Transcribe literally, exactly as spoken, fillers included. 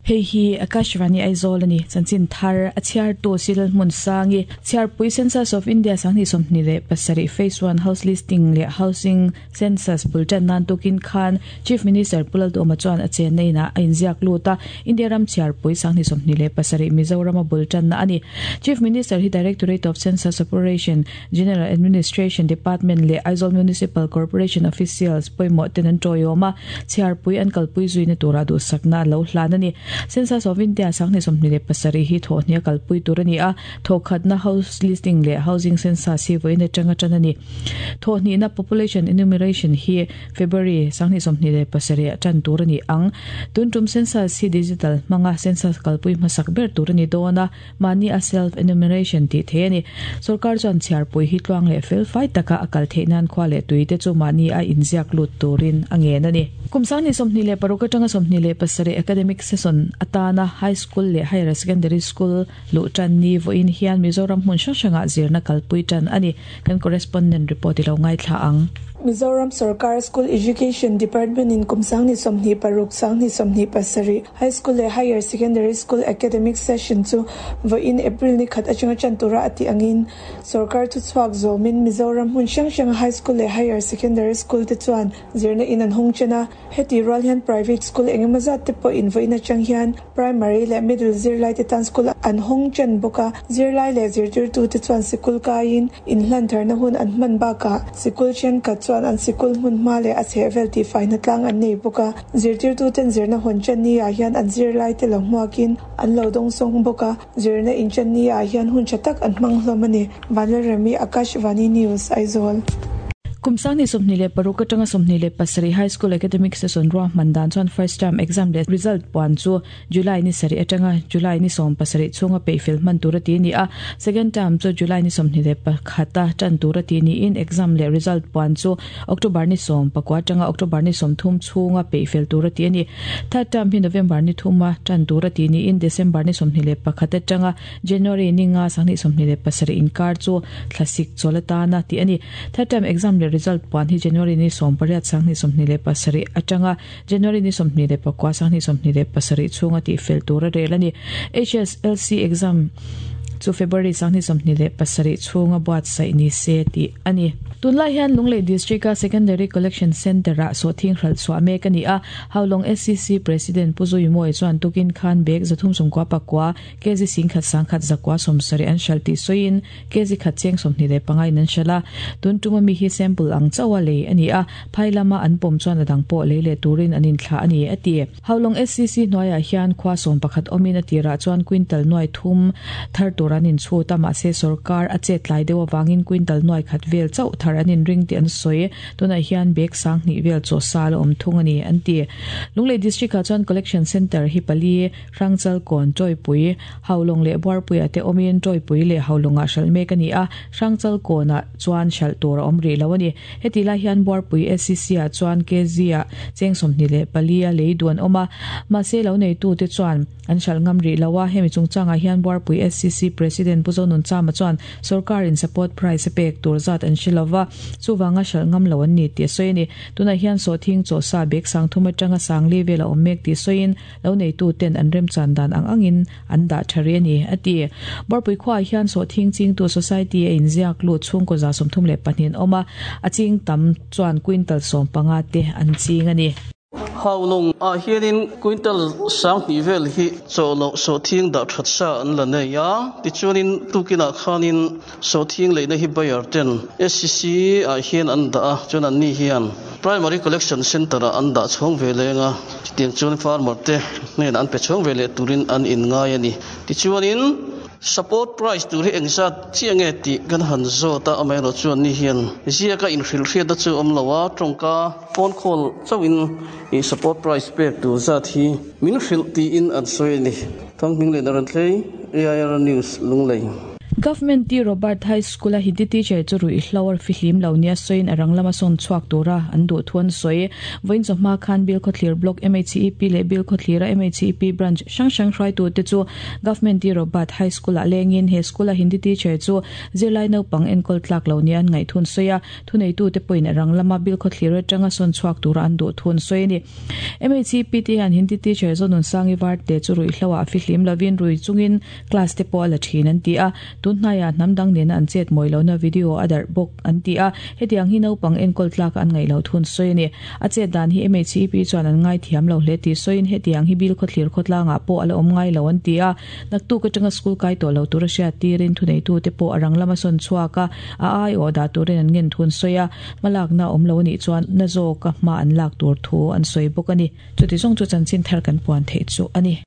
Hei hi Akashvani Aizawl ani chanchin thar a chhiar tu Silal hmun sangi chhiarpui Census of India sanghnih sawmhnih leh pasarih phase one house listing leh housing census bultan nan tukin khan Chief Minister Pu Lalduhoma chuan a chenna inah a inziak lut a India ram chhiarpui sanghnih sawmhnih leh pasarih Mizoram a bultan na ani Chief Minister hi Directorate of Census Operation General Administration Department leh Aizawl Municipal Corporation officials pawimawh ten an tawiawm a chhiarpui an kalpui zuina tura duhsakna lo hlan ani Census of India sanghnih sawmhnih leh pasarih hi thawhhnih a kalpui tur ani a thawkhatna house listing leh housing census hi vawiin atanga tan ani thawhhnihna population enumeration hi February sanghnih sawmhnih leh pasarih a tan tur ani ang tuntum census hi digital hmanga census kalpui hmasak ber tur ani dawn a mahni a self enumeration tih thei ani sarkar chuan chhiarpui hi tluang leh fel fai taka a kal theih nan khua leh tui te chu mahni a inziak lut turin a ngen ani kum sanghnih sawmhnih leh paruk atanga sawmhnih leh pasarih academic session atana high school leh higher secondary school lu tan ni vawiin hian Mizoram hmun hrang hrangah zirna kalpui tan ani kan correspondent report ilo ngai thla ang Mizoram Sarkar School Education Department in Kumsangni Somni Paruk Sangni Somni Pasari High School le Higher Secondary School Academic Session chu vawiin April ni khat atanga chantura ati angin Sarkar chu chuak zomin Mizoram hmun hrang hrang High School le Higher Secondary School te chuan zirna in an hung chana heti rual hian private school engemaw zat te pawh in vawiin atang hian primary le middle zirlai te tan school an hung chan bawka zirlai le zirtirtu te chuan sikul kaiin in hlan tharna hun an hman baka sikul thenkhat chuan an sikul hmun hma leh a chhehvel tih faina tlang an nei bawk a zirtirtu ten zirna hawn chan ni ah hian an zirlai te lo hmuakin an lo dawng sawng bawk a zirna in chan ni ah hian hun tha tak an hmang hlawm ani Vanlalremi Akashvani News Aizawl Kum sanghnih sawmhnih leh paruk atanga sawmhnih leh pasarih high school academic session ruahman dan chuan first term exam leh result puan chu July ni sarih atanga July ni sawm pasarih chhunga peihfel hman tur a ti ni a second term chu July ni sawmhnih leh pakhata tan tur a ti ni in exam leh result puan chu October ni sawm pakua atanga October ni sawm thum chhunga peihfel tur a ti ani third term hi November ni thuma tan tur a ti ni in December ni sawmhnih leh pakhat atanga January ni nga sanghnih sawmhnih leh pasarih inkar chu thlasik chawlatana ti ani third term exam leh result puan hi January ni sawm pariat sanghnih sawmhnih leh pasarih atanga January ni sawmhnih leh pakua sanghnih sawmhnih leh pasarih chhunga tih fel tur a rel ani H S L C exam chu February sanghnih sawmhnih leh pasarih chhunga buatsaih ni se tih ani tunlai hian Lunglei District a Secondary Collection Center a sawhthing hral chhuah mek ani a Haulawng S C C President Pu Zuimawia chuan tukin khan bag zathum sawmkua pakua kg singkhat sangkhat zakua sawmsarih an hral tih sawiin kg khat cheng sawmhnih leh panga in an hral a tun tuma mi hi sample ang chauh a lei ani a phai lama an pawm chuan a dang pawh lei leh turin an inthlah ani a ti Haulawng S C C hnuaiah hian khua sawm pakhat awmin a tirah chuan quintal nuai thum thar tur an inchhut a mahse sarkar a chet tlai deuh awangin quintal nuai khat vel chauh thar an inring tih an sawi tunah hian bag sanghnih vel chaw sa la awm thung ani an ti Lunglei District ah chuan collection center hi pali Hrangchal kawn Tawipui Haulawng leh Buarpui ah te awmin Tawipui leh Haulawng ah hral mek ani a Hrangchal kawnah chuan hral tur a awm rih lo ani heti lai hian Buarpui S C C ah chuan kg ah cheng sawmhnih leh pali a lei duan awm a mahse lo neitu te chuan an hral ngam rih lo a hemi chungchangah hian Buarpui S C C President Pu Zonun Chama chuan sarkar in support price a pek tur zat an hre lova chuwanga hral ngam lo an ni tih sawi ani tunah hian sawhthing chaw sa bag sang thum atanga sang li vel a awm mek tih sawiin lo neitu ten an rem chan dan ang angin an dah thari ani a ti Buarpui khuaah hian sawhthing chingtu society a inziak lut chhungkaw za sawmthum leh pahnih an awm a a ching tam chuan quintal sawm panga te an ching ani Haulawng ah hianin quintal sanghnih vel hi chawhloh sawhthing dah that sa an la nei a tichuanin tukinah khanin sawhthing leihna hi buyer ten S C C ah hian an dah a chuan an ni hian primary collection center ah an dah chhawng ve lenga chutiang chuan farmer te hnenah an pe chhawng ve leh turin an in ngai ani tichuanin support price tur hi engzat chiah nge tih kan han zawt a amaherawh chuan ni hian ziaka inhrilh hriat a chu awm lo a tawngka phone call chauhin i support price pek tur zat hi min hrilh tiin an sawi ani Thanghming leh Naran Thlei A I R News Lunglei. Government T Robert High School a Hindi teacher chu rui hlawar fi hlim lo nia soin arang lama son chuak tura an du thuan soi voin zo ma khan bil khotlir block M H E P le bil khothlira M H E P branch sang sang hrai tu te chu Government T Robert High School a lengin he school a Hindi teacher chu zirlai no pang enkol tlak lo nia ngai thun soya thunei tu te point arang lama bil khothlira tanga son chuak tura an du thun soi ni. M H E P te han Hindi teacher zonun sangi var te chu rui hlawa fi hlim lovin rui chungin class te po la thin an ti a. Tun hnaya namdang nen an chet moilo na video adar bok an ti a. Hetiang hi naupang enkol tlak an ngai lo thun soi ni. A che dan hi M H E P chuan an ngai thiam lo hle ti soin hetiang hi bil khothlir khotlanga po ala om ngai lo an ti a. Naktu ka tanga school kai to lo tur sia tirin thunei tu te po arang lama son chuaka a ai o da turin an ngen thun soya malak na om lo ni chuan na zo ka ma an lak tur thu an soi bok ani. Chuti zong chu chanchin thar kan puan the chu ani.